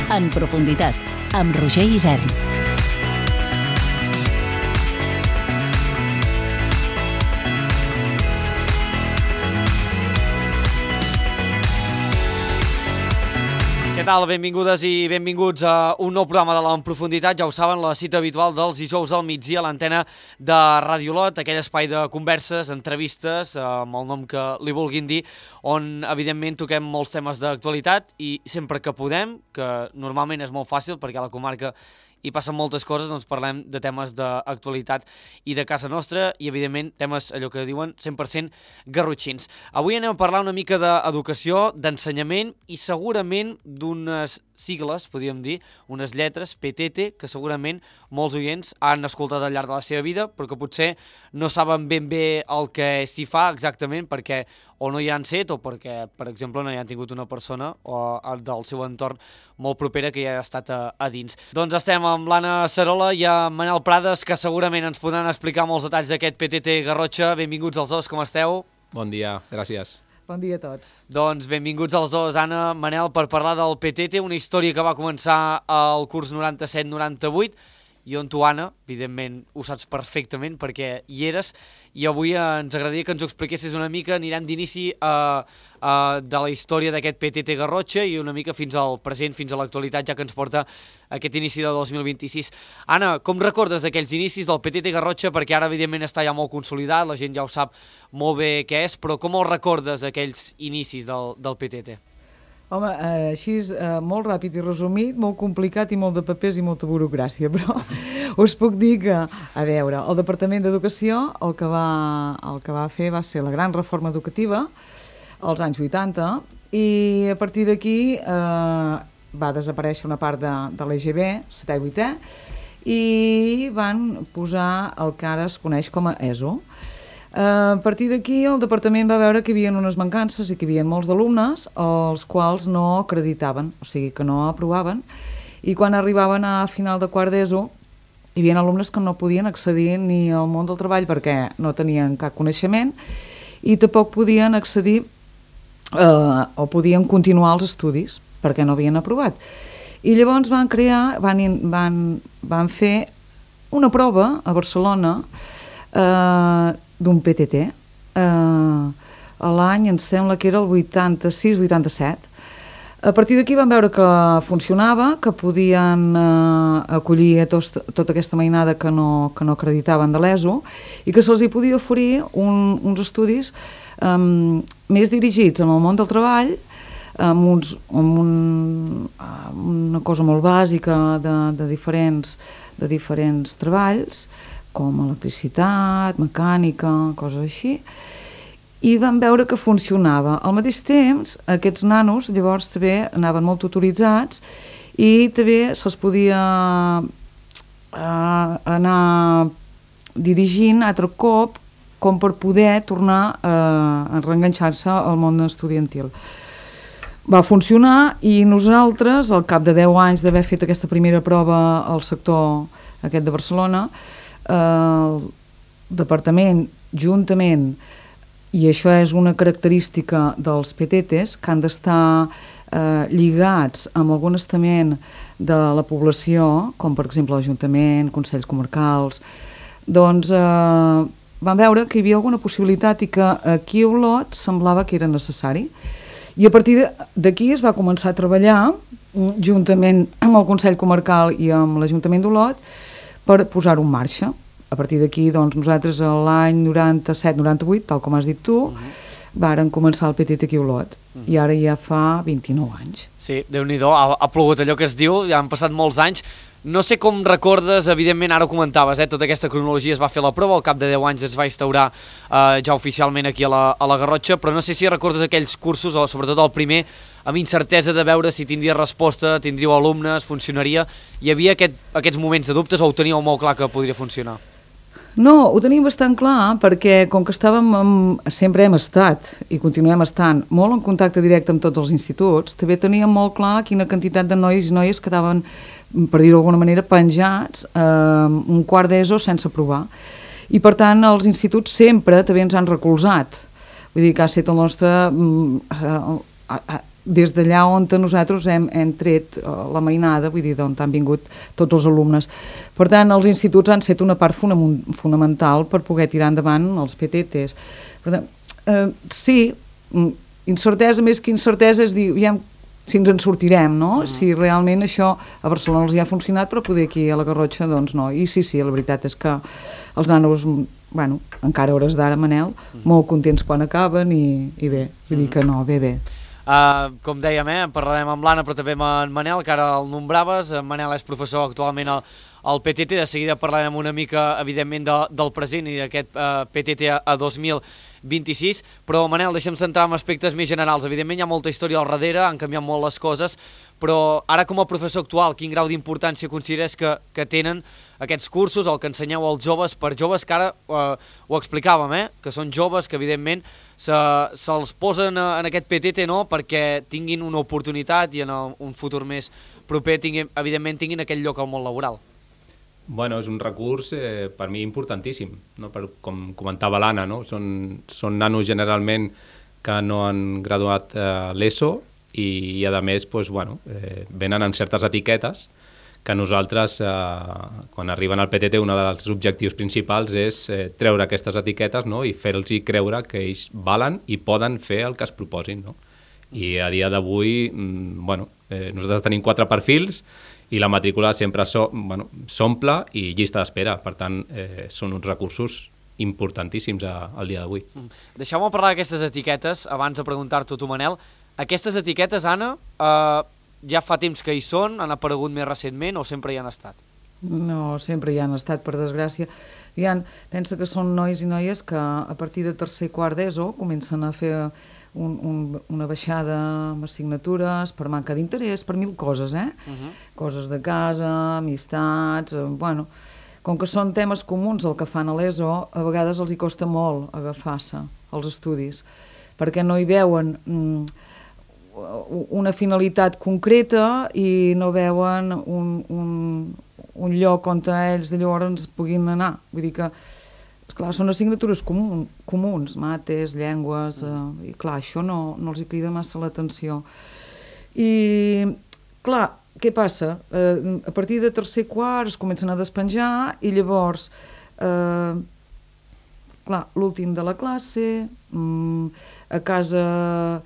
En profunditat, amb Roger Isern. Què tal? Benvingudes i benvinguts a un nou programa de l'En Profunditat. Ja ho saben, la cita habitual dels dijous al migdia a l'antena de Radio Lot, aquell espai de converses, entrevistes, amb el nom que li vulguin dir, on evidentment toquem molts temes d'actualitat i sempre que podem, que normalment és molt fàcil perquè a la comarca hi passen moltes coses, doncs parlem de temes d'actualitat i de casa nostra i evidentment temes, allò que diuen, 100% garrotxins. Avui anem a parlar una mica d'educació, d'ensenyament i segurament d'unes sigles, podríem dir, unes lletres, PTT, que segurament molts oients han escoltat al llarg de la seva vida, però que potser no saben ben bé el que s'hi fa exactament perquè o no hi han set o perquè, per exemple, no hi han tingut una persona o del seu entorn molt propera que hi ha estat a dins. Doncs estem amb l'Anna Sarola i amb Manel Prades, que segurament ens podran explicar molts detalls d'aquest PTT Garrotxa. Benvinguts els dos, com esteu? Bon dia, gràcies. Bon dia a tots. Doncs benvinguts els dos, Anna, Manel, per parlar del PTT, una història que va començar al curs 97-98, i on tu, Anna, evidentment ho saps perfectament perquè hi eres, i avui ens agradaria que ens ho expliquessis una mica. Anirem d'inici de la història d'aquest PTT Garrotxa i una mica fins al present, fins a l'actualitat, ja que ens porta aquest inici de 2026. Anna, com recordes d'aquells inicis del PTT Garrotxa? Perquè ara, evidentment, està ja molt consolidat, la gent ja ho sap molt bé què és, però com els recordes, aquells inicis del PTT? Home, així és molt ràpid i resumit, molt complicat i molt de papers i molta burocràcia, però us puc dir que, a veure, el Departament d'Educació el que va fer va ser la gran reforma educativa als anys 80 i a partir d'aquí va desaparèixer una part de l'EGB, 7è i 8è, i van posar el que ara es coneix com a ESO. A partir d'aquí el departament va veure que hi havia unes mancances i que hi havia molts d'alumnes els quals no acreditaven, o sigui que no aprovaven, i quan arribaven a final de quart d'ESO hi havia alumnes que no podien accedir ni al món del treball perquè no tenien cap coneixement i tampoc podien accedir o podien continuar els estudis perquè no havien aprovat. I llavors van fer una prova a Barcelona d'un PTT. L'any em sembla que era el 86-87. A partir d'aquí vam veure que funcionava, que podien acollir tota aquesta mainada que no acreditaven de l'ESO i que se'ls hi podia oferir uns estudis més dirigits en el món del treball, amb una cosa molt bàsica de diferents treballs, com electricitat, mecànica, coses així, i vam veure que funcionava. Al mateix temps, aquests nanos llavors també anaven molt tutoritzats i també se'ls podia anar dirigint altre cop com per poder tornar a reenganxar-se al món estudiantil. Va funcionar i nosaltres, al cap de 10 anys d'haver fet aquesta primera prova al sector aquest de Barcelona, el departament, juntament, i això és una característica dels PTTs, que han d'estar lligats amb algun estament de la població, com per exemple l'Ajuntament, Consells Comarcals, doncs van veure que hi havia alguna possibilitat i que aquí a Olot semblava que era necessari. I a partir d'aquí es va començar a treballar juntament amb el Consell Comarcal i amb l'Ajuntament d'Olot per posar-ho en marxa. A partir d'aquí, doncs, nosaltres l'any 97-98, tal com has dit tu, vàrem començar el PTT aquí a Olot. I ara ja fa 29 anys. Sí, Déu-n'hi-do, ha plogut allò que es diu, ja han passat molts anys. No sé com recordes, evidentment, ara ho comentaves, tota aquesta cronologia es va fer la prova, al cap de 10 anys es va instaurar ja oficialment aquí a la Garrotxa, però no sé si recordes aquells cursos, o sobretot el primer, amb incertesa de veure si tindria resposta, tindríeu alumnes, funcionaria. Hi havia aquests moments de dubtes o ho teníeu molt clar que podria funcionar? No, ho tenim bastant clar perquè com que sempre hem estat i continuem estant molt en contacte directe amb tots els instituts, també teníem molt clar quina quantitat de nois i noies quedaven, per dir-ho d'alguna manera, penjats un quart d'ESO sense aprovar. I per tant els instituts sempre també ens han recolzat. Vull dir que ha estat el nostre des d'allà on nosaltres hem tret la mainada, vull dir, d'on han vingut tots els alumnes. Per tant, els instituts han estat una part fonamental per poder tirar endavant els PTTs. Per tant, sí, incertesa més que incertesa és dir, si ens en sortirem, no? Si realment això a Barcelona els hi ha funcionat, però poder aquí a la Garrotxa, doncs no. I sí, la veritat és que els nanos, bueno, encara hores d'ara, Manel, molt contents quan acaben i bé, vull dir que no, bé. Com dèiem, parlarem amb l'Anna, però també amb en Manel, que ara el nombraves. En Manel és professor actualment al PTT, de seguida parlarem una mica, evidentment, del present i d'aquest PTT a 2026, però Manel, deixa'm centrar en aspectes més generals. Evidentment hi ha molta història al darrere, han canviat molt les coses, però ara com a professor actual, quin grau d'importància consideres que tenen aquests cursos, el que ensenyeu als joves, per joves que ara ho explicàvem, que són joves que evidentment se'ls posen en aquest PTT perquè tinguin una oportunitat i en un futur més proper evidentment tinguin aquell lloc al món laboral? Bueno, és un recurs per mi importantíssim, no? Com comentava l'Anna, no? Són nanos generalment que no han graduat l'ESO i a més doncs, bueno, venen en certes etiquetes que nosaltres, quan arriben al PTT, un dels objectius principals és treure aquestes etiquetes, no? I fer-los creure que ells valen i poden fer el que es proposin, no? I a dia d'avui, bueno, nosaltres tenim 4 perfils i la matrícula sempre s'omple i llista d'espera. Per tant, són uns recursos importantíssims al dia d'avui. Deixeu-me parlar d'aquestes etiquetes, abans de preguntar-t'ho tu, Manel. Aquestes etiquetes, Anna, ja fa temps que hi són, han aparegut més recentment o sempre hi han estat? No, sempre hi han estat, per desgràcia. Pensa que són nois i noies que a partir de tercer i quart d'ESO comencen a fer una baixada amb assignatures per manca d'interès, per 1000 coses, Coses de casa, amistats, bueno. Com que són temes comuns el que fan a l'ESO, a vegades els hi costa molt agafar-se als estudis, perquè no hi veuen una finalitat concreta i no veuen un lloc on ells de llavors puguin anar. Vull dir que, esclar, són assignatures comuns, mates, llengües, i clar, això no els hi crida massa l'atenció. I, clar, què passa? A partir de tercer quart es comencen a despenjar i llavors, clar, l'últim de la classe, a casa,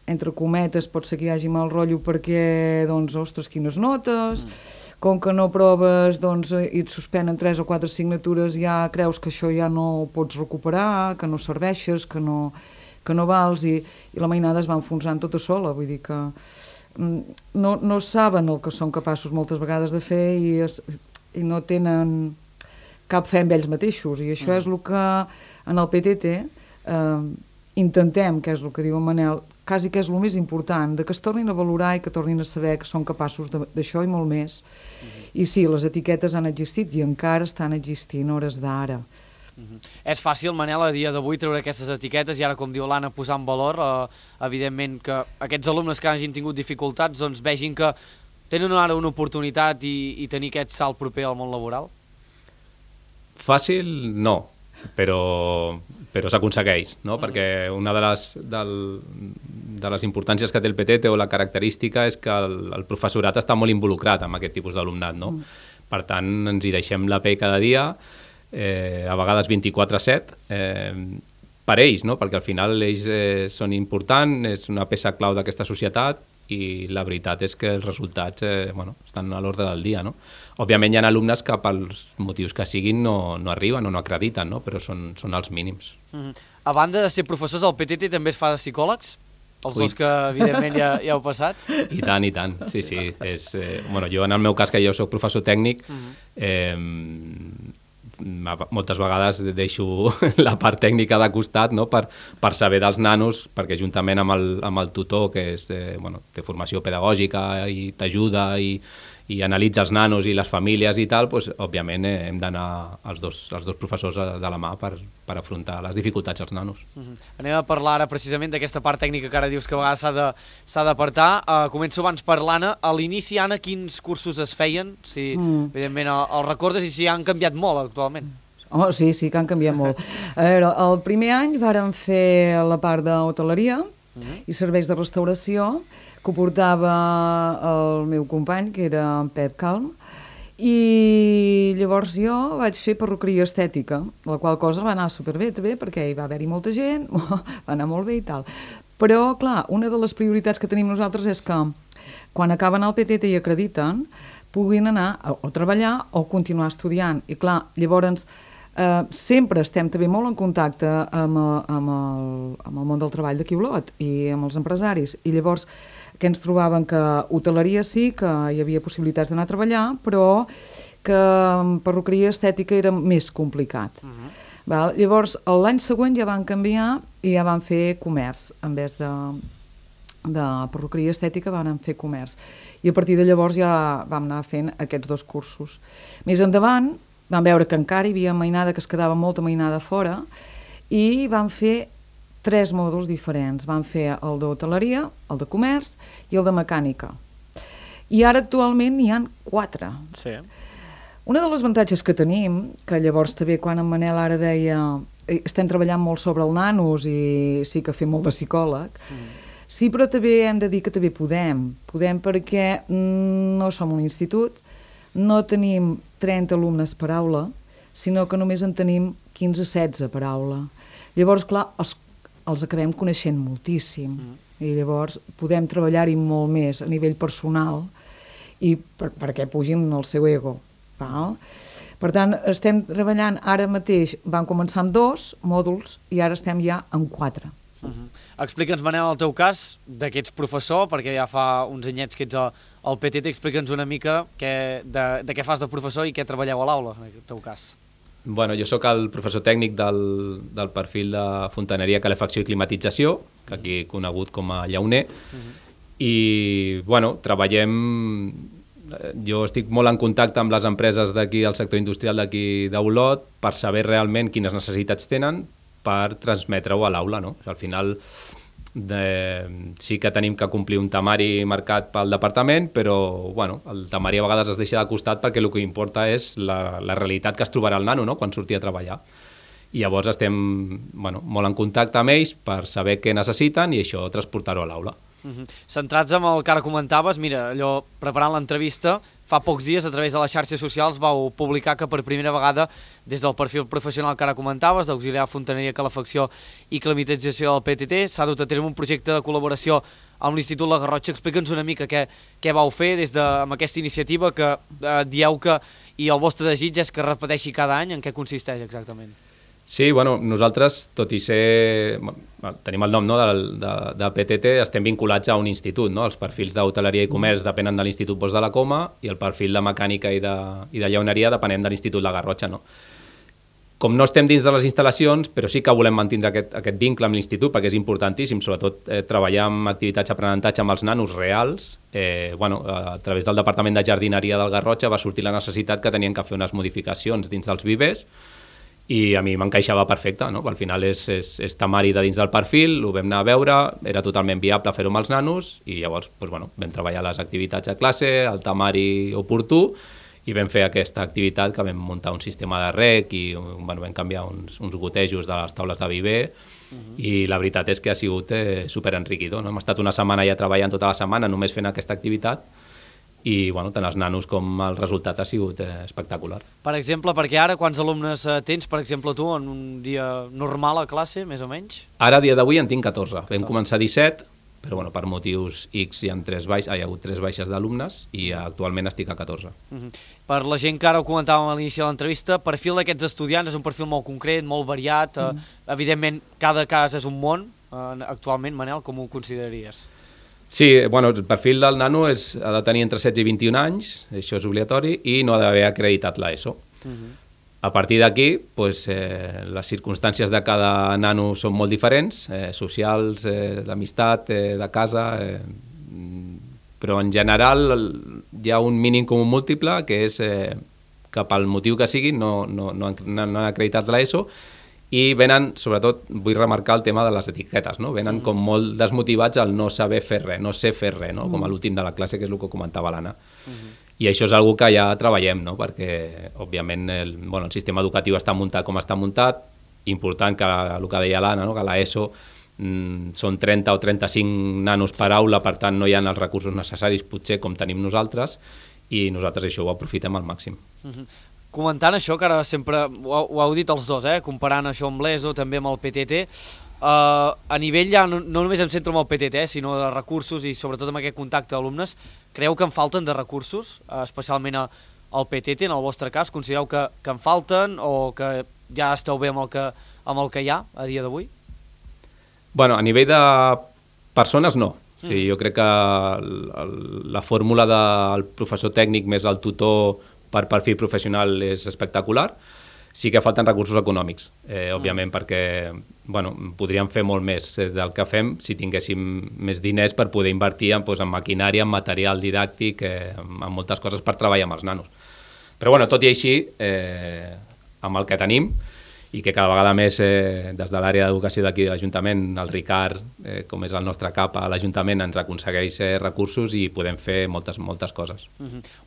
entre cometes, pot ser que hi hagi mal rotllo perquè, doncs, ostres, quines notes, com que no proves, doncs, i et suspenen 3 o 4 assignatures, ja creus que això ja no ho pots recuperar, que no serveixes, que no vals, i la mainada es va enfonsant tota sola, vull dir que no saben el que són capaços moltes vegades de fer i no tenen cap fe en ells mateixos, i això és el que en el PTT intentem, que és el que diu en Manel, quasi que és el més important, que es tornin a valorar i que tornin a saber que són capaços d'això i molt més. I sí, les etiquetes han existit i encara estan existint hores d'ara. És fàcil, Manel, a dia d'avui treure aquestes etiquetes i ara, com diu l'Anna, posar en valor, evidentment, que aquests alumnes que hagin tingut dificultats doncs vegin que tenen ara una oportunitat i tenir aquest salt proper al món laboral? Fàcil no, però s'aconsegueix, no? Perquè una de les importàncies que té el PTT o la característica és que el professorat està molt involucrat amb aquest tipus d'alumnat, no? Per tant, ens hi deixem la pell cada dia, a vegades 24/7, per ells, no? Perquè al final ells són importants, és una peça clau d'aquesta societat i la veritat és que els resultats estan a l'ordre del dia, no? Òbviament hi ha alumnes que pels motius que siguin no arriben o no acrediten, no? Però són els mínims. A banda de ser professors, el PTT també es fa de psicòlegs? Els dos que evidentment ja heu passat? I tant, sí. Jo en el meu cas, que jo soc professor tècnic, moltes vegades deixo la part tècnica de costat, no? per saber dels nanos, perquè juntament amb el tutor, que té formació pedagògica i t'ajuda i analitza els nanos i les famílies i tal, doncs, òbviament hem d'anar els dos professors de la mà per afrontar les dificultats als nanos. Anem a parlar ara precisament d'aquesta part tècnica que ara dius que a vegades s'ha d'apartar. Començo abans per l'Anna. A l'inici, Anna, quins cursos es feien? Si, evidentment, els recordes i si han canviat molt actualment. Oh, sí, que han canviat molt. A veure, el primer any vàrem fer la part d'hoteleria, i serveis de restauració, que ho portava el meu company, que era en Pep Calm, i llavors jo vaig fer perruqueria estètica, la qual cosa va anar superbé també, perquè hi va haver-hi molta gent, va anar molt bé i tal. Però, clar, una de les prioritats que tenim nosaltres és que quan acaben el PTT i acrediten, puguin anar o treballar o continuar estudiant. I clar, llavors sempre estem també molt en contacte amb el món del treball d'aquí a Olot i amb els empresaris. I llavors que ens trobaven que hoteleria sí, que hi havia possibilitats d'anar a treballar, però que perruqueria estètica era més complicat. Val? Llavors, l'any següent ja van canviar i ja van fer comerç, en vez de perruqueria estètica van fer comerç. I a partir de llavors ja vam anar fent aquests 2 cursos. Més endavant vam veure que encara hi havia mainada, que es quedava molta mainada fora, i vam fer 3 mòduls diferents. Vam fer el d'hoteleria, el de comerç i el de mecànica. I ara actualment n'hi ha 4. Sí. Una de les avantatges que tenim, que llavors també quan en Manel ara deia estem treballant molt sobre el nanos i sí que fem molt de psicòleg, sí, però també hem de dir que també podem perquè no som un institut, no tenim 30 alumnes per aula, sinó que només en tenim 15-16 per aula. Llavors, clar, els acabem coneixent moltíssim i llavors podem treballar-hi molt més a nivell personal i perquè pugin el seu ego. Val? Per tant, estem treballant ara mateix, vam començar amb 2 mòduls i ara estem ja en 4. Explica'ns, Manel, el teu cas, de que ets professor, perquè ja fa uns anyets que ets al PTT, explica'ns una mica de què fas de professor i què treballeu a l'aula, en el teu cas. Bueno, jo sóc el professor tècnic del perfil de fontaneria, calefacció i climatització, que aquí he conegut com a llauner, i bueno, treballem... Jo estic molt en contacte amb les empreses d'aquí, del sector industrial d'aquí d'Olot, per saber realment quines necessitats tenen per transmetre-ho a l'aula, no? Al final sí que tenim que complir un temari marcat pel departament, però bueno, el temari a vegades es deixa de costat perquè el que importa és la realitat que es trobarà el nano, no?, quan surti a treballar. I llavors estem molt en contacte amb ells per saber què necessiten i això transportar-ho a l'aula. Centrats en el que ara comentaves, mira, allò, preparant l'entrevista, fa pocs dies a través de les xarxes socials vau publicar que per primera vegada des del perfil professional que ara comentaves, d'auxiliar fontaneria, calefacció i climatització del PTT, s'ha dut a terme un projecte de col·laboració amb l'Institut La Garrotxa. Explica'ns una mica què vau fer amb aquesta iniciativa que dieu que, i el vostre desig és que es repeteixi cada any. En què consisteix exactament? Sí, bueno, nosaltres, tot i ser... tenim el nom, no, de PTT, estem vinculats a un institut, no? Els perfils d'hoteleria i comerç depenen de l'Institut Bosch de la Coma i el perfil de mecànica i de llauneria depenem de l'Institut La Garrotxa, no? Com no estem dins de les instal·lacions, però sí que volem mantenir aquest vincle amb l'institut perquè és importantíssim, sobretot treballar amb activitats d'aprenentatge amb els nanos reals. A través del Departament de Jardineria del Garrotxa va sortir la necessitat que tenien que fer unes modificacions dins dels vivers i a mi m'encaixava perfecte, no? Al final és temari de dins del perfil, ho vam anar a veure, era totalment viable fer-ho amb els nanos i llavors vam treballar les activitats a classe, el temari oportú i vam fer aquesta activitat que vam muntar un sistema de rec i vam canviar uns gotejos de les taules de viver i la veritat és que ha sigut superenriquidor, no? Hem estat una setmana ja treballant tota la setmana només fent aquesta activitat i tant els nanos com el resultat ha sigut espectacular. Per exemple, perquè ara quants alumnes tens, per exemple, tu, en un dia normal a classe, més o menys? Ara, a dia d'avui, en tinc 14. Vam començar 17, però per motius X hi ha hagut 3 baixes d'alumnes i actualment estic a 14. Per la gent que ara ho comentàvem a l'inici de l'entrevista, el perfil d'aquests estudiants és un perfil molt concret, molt variat, evidentment cada cas és un món. Actualment, Manel, com ho consideraries? Sí, el perfil del nano ha de tenir entre 16 i 21 anys, això és obligatori, i no ha d'haver acreditat l'ESO. A partir d'aquí, les circumstàncies de cada nano són molt diferents, socials, d'amistat, de casa, però en general hi ha un mínim comú múltiple, que és que pel motiu que sigui no han acreditat l'ESO, i venen, sobretot, vull remarcar el tema de les etiquetes, no? Venen com molt desmotivats al no saber fer res, no sé fer res, no? Com a l'últim de la classe, que és el que comentava l'Anna. I això és una cosa que ja treballem, no? Perquè, òbviament, el sistema educatiu està muntat com està muntat, important que el que deia l'Anna, no? Que l'ESO són 30 o 35 nanos per aula, per tant no hi ha els recursos necessaris potser com tenim nosaltres, i nosaltres això ho aprofitem al màxim. Comentant això, que ara sempre ho heu dit els dos, comparant això amb l'ESO, també amb el PTT, a nivell ja no només em centro en el PTT, sinó de recursos i sobretot amb aquest contacte d'alumnes, creieu que en falten de recursos, especialment al PTT, en el vostre cas? Considereu que en falten o que ja esteu bé amb el que hi ha a dia d'avui? Bueno, a nivell de persones no. O sigui, jo crec que la fórmula del professor tècnic més el tutor per perfil professional és espectacular. Sí que falten recursos econòmics, òbviament, perquè podríem fer molt més del que fem si tinguéssim més diners per poder invertir en maquinària, en material didàctic, en moltes coses per treballar amb els nanos. Però tot i així, amb el que tenim, i que cada vegada més des de l'àrea d'educació d'aquí de l'Ajuntament, el Ricard, com és el nostre cap a l'Ajuntament, ens aconsegueix recursos i podem fer moltes coses.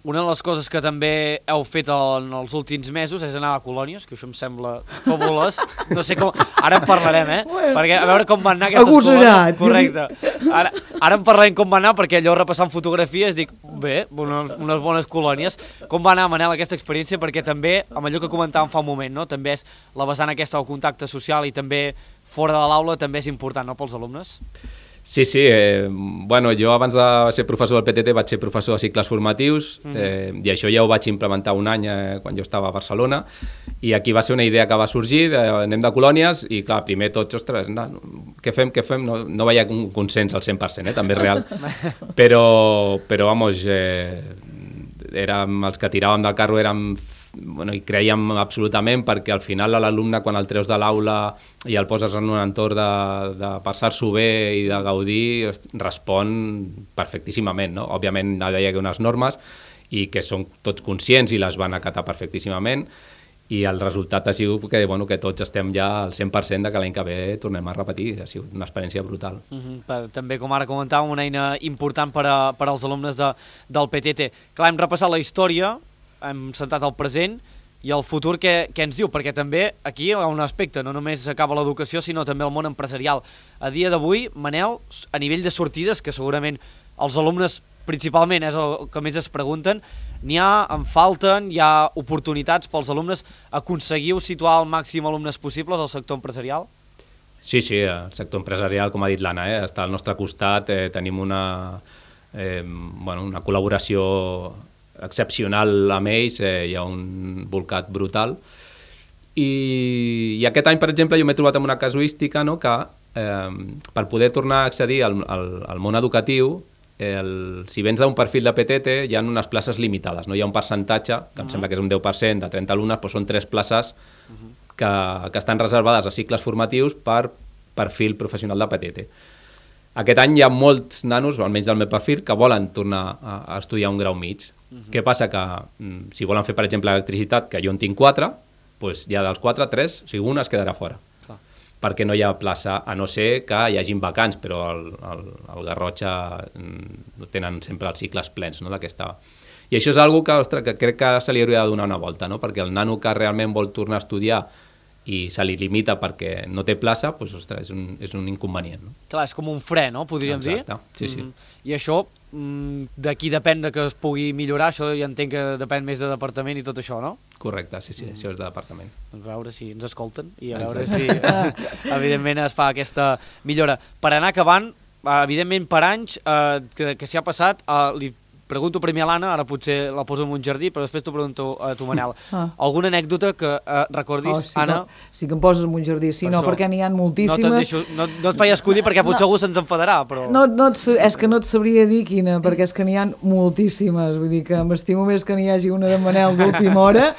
Una de les coses que també heu fet en els últims mesos és anar a colònies, que això em sembla fabulós. No sé com... Ara en parlarem, perquè a veure com van anar aquestes colònies. Correcte. Ara en parlarem com van anar, perquè allò repassant fotografies dic, bé, unes bones colònies. Com va anar, Manel, aquesta experiència? Perquè també, amb allò que comentàvem fa un moment, no? També és la vessant aquesta del contacte social i també fora de l'aula també és important, no, pels alumnes? Sí, jo abans de ser professor del PTT vaig ser professor de cicles formatius i això ja ho vaig implementar un any quan jo estava a Barcelona, i aquí va ser una idea que va sorgir, anem de colònies, i clar, primer tots, ostres, què fem? No veia un consens al 100%, també és real, però érem els que tiràvem del carro, i creiem absolutament, perquè al final l'alumne, quan el treus de l'aula i el poses en un entorn de passar-s'ho bé i de gaudir, respon perfectíssimament, no? Òbviament hi ha unes normes i que són tots conscients i les van acatar perfectíssimament, i el resultat ha sigut que tots estem ja al 100% de que l'any que ve tornem a repetir. Ha sigut una experiència brutal. També, com ara comentàvem, una eina important per als alumnes del PTT. Clar, hem repassat la història, hem centrat el present i el futur què ens diu, perquè també aquí hi ha un aspecte, no només acaba l'educació sinó també el món empresarial. A dia d'avui, Manel, a nivell de sortides, que segurament els alumnes principalment és el que més es pregunten, en falten, hi ha oportunitats pels alumnes, aconseguiu situar el màxim alumnes possibles al sector empresarial? Sí, el sector empresarial, com ha dit l'Anna, està al nostre costat, tenim una col·laboració excepcional amb ells, hi ha un bolcat brutal, i aquest any, per exemple, jo m'he trobat amb una casuística, no?, que per poder tornar a accedir al món educatiu, si vens d'un perfil de PTT hi ha unes places limitades, no? Hi ha un percentatge, que em sembla que és un 10% de 30 alumnes, però són 3 places que estan reservades a cicles formatius per perfil professional de PTT. Aquest any hi ha molts nanos, almenys del meu perfil, que volen tornar a estudiar un grau mig. Què passa? Que si volen fer, per exemple, electricitat, que jo en tinc 4, doncs ja dels 4, 3, o sigui, una es quedarà fora. Perquè no hi ha plaça, a no ser que hi hagin vacants, però el Garrotxa tenen sempre els cicles plens, no?, d'aquesta. I això és una cosa que crec que se li hauria de donar una volta, no?, perquè el nano que realment vol tornar a estudiar i se li limita perquè no té plaça, doncs, ostres, és un inconvenient. No? Clar, és com un fre, no?, podríem dir. Exacte, sí. I això, d'aquí depèn de que es pugui millorar, això ja entenc que depèn més de departament i tot això, no? Correcte, sí, això és de departament. Doncs a veure si ens escolten i a veure si, evidentment, es fa aquesta millora. Per anar acabant, evidentment, per anys que s'hi ha passat, li pregunto primer a l'Anna, ara potser la poso en un jardí, però després t'ho pregunto a tu, Manel. Alguna anècdota que recordis, Anna? Sí que em poses en un jardí, sí, no, perquè n'hi ha moltíssimes. No et faig escollir perquè potser algú se'ns enfadarà, però... És que no et sabria dir quina, perquè és que n'hi ha moltíssimes, vull dir que m'estimo més que n'hi hagi una de Manel d'última hora,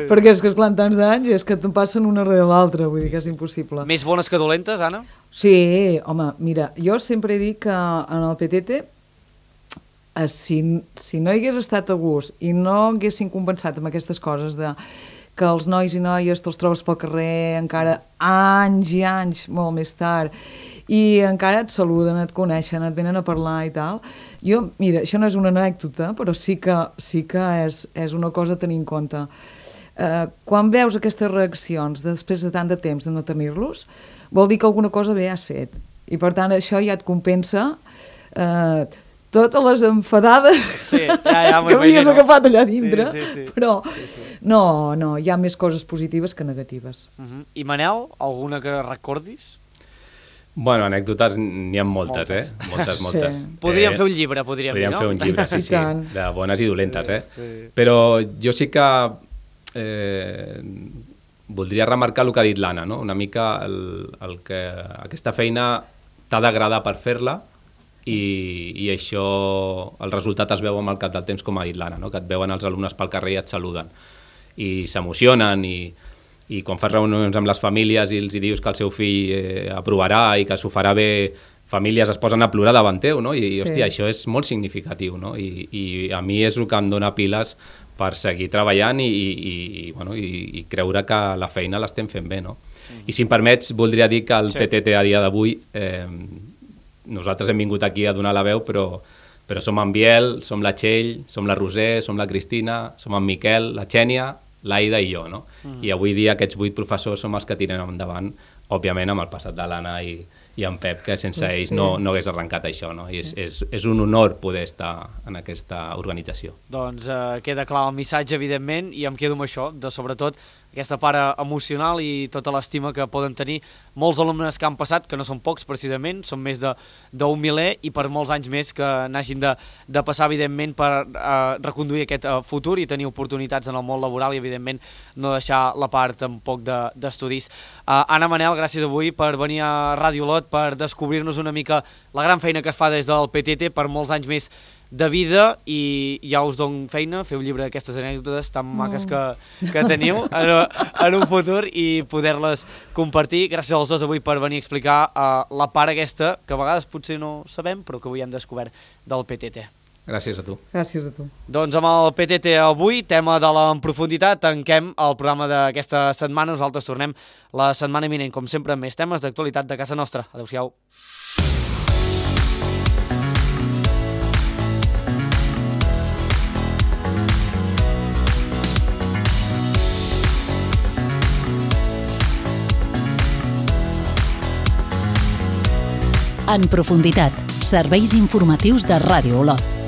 perquè és que esclar, en tants d'anys és que te'n passen una darrere l'altra, vull dir que és impossible. Més bones que dolentes, Anna? Sí, home, mira, jo sempre he dit que en el PTT si no hi hagués estat a gust i no haguessin compensat amb aquestes coses de que els nois i noies te'ls trobes pel carrer encara anys i anys molt més tard i encara et saluden, et coneixen, et venen a parlar i tal, jo, mira, això no és una anècdota, però sí que és una cosa a tenir en compte. quan veus aquestes reaccions després de tant de temps de no tenir-los, vol dir que alguna cosa bé has fet. I per tant això ja et compensa totes les enfadades que havies agafat allà dintre, sí. però no, hi ha més coses positives que negatives. I Manel, alguna que recordis? Bueno, anècdotes n'hi ha moltes. Moltes. Sí. Podríem fer un llibre, podríem dir, no? Fer un llibre, sí, de bones i dolentes, Sí. Però jo sí que voldria remarcar el que ha dit l'Anna, no? Una mica el que aquesta feina t'ha d'agradar per fer-la i això, el resultat es veu amb el cap del temps, com ha dit l'Anna, no? Que et veuen els alumnes pel carrer i et saluden i s'emocionen i quan fas reunions amb les famílies i els dius que el seu fill aprovarà i que s'ho farà bé, famílies es posen a plorar davant teu, no? I hòstia, això és molt significatiu, no? I a mi és el que em dona piles per seguir treballant i creure que la feina l'estem fent bé, no? I si em permets, voldria dir que el PTT a dia d'avui, nosaltres hem vingut aquí a donar la veu, però som en Biel, som la Txell, som la Roser, som la Cristina, som en Miquel, la Xènia, l'Aida i jo, no? I avui dia aquests 8 professors som els que tiren endavant, òbviament amb el passat de l'Anna i en Pep, que sense ells no hagués arrencat això, no? I és un honor poder estar en aquesta organització. Doncs queda clar el missatge, evidentment, i em quedo amb això, de sobretot aquesta part emocional i tota l'estima que poden tenir molts alumnes que han passat, que no són pocs precisament, són més d'un miler i per molts anys més que n'hagin de passar, evidentment, per reconduir aquest futur i tenir oportunitats en el món laboral i, evidentment, no deixar la part tampoc d'estudis. Anna, Manel, gràcies avui per venir a Ràdio Olot, per descobrir-nos una mica la gran feina que es fa des del PTT per molts anys més de vida i ja us dono feina, feu llibre d'aquestes anècdotes tan maques que teniu en un futur i poder-les compartir. Gràcies als dos avui per venir a explicar la part aquesta, que a vegades potser no sabem, però que avui hem descobert del PTT. Gràcies a tu. Gràcies a tu. Doncs amb el PTT avui, tema de la profunditat, tanquem el programa d'aquesta setmana. Nosaltres tornem la setmana vinent, com sempre, amb més temes d'actualitat de casa nostra. Adéu-siau. En profunditat, serveis informatius de Ràdio Olot.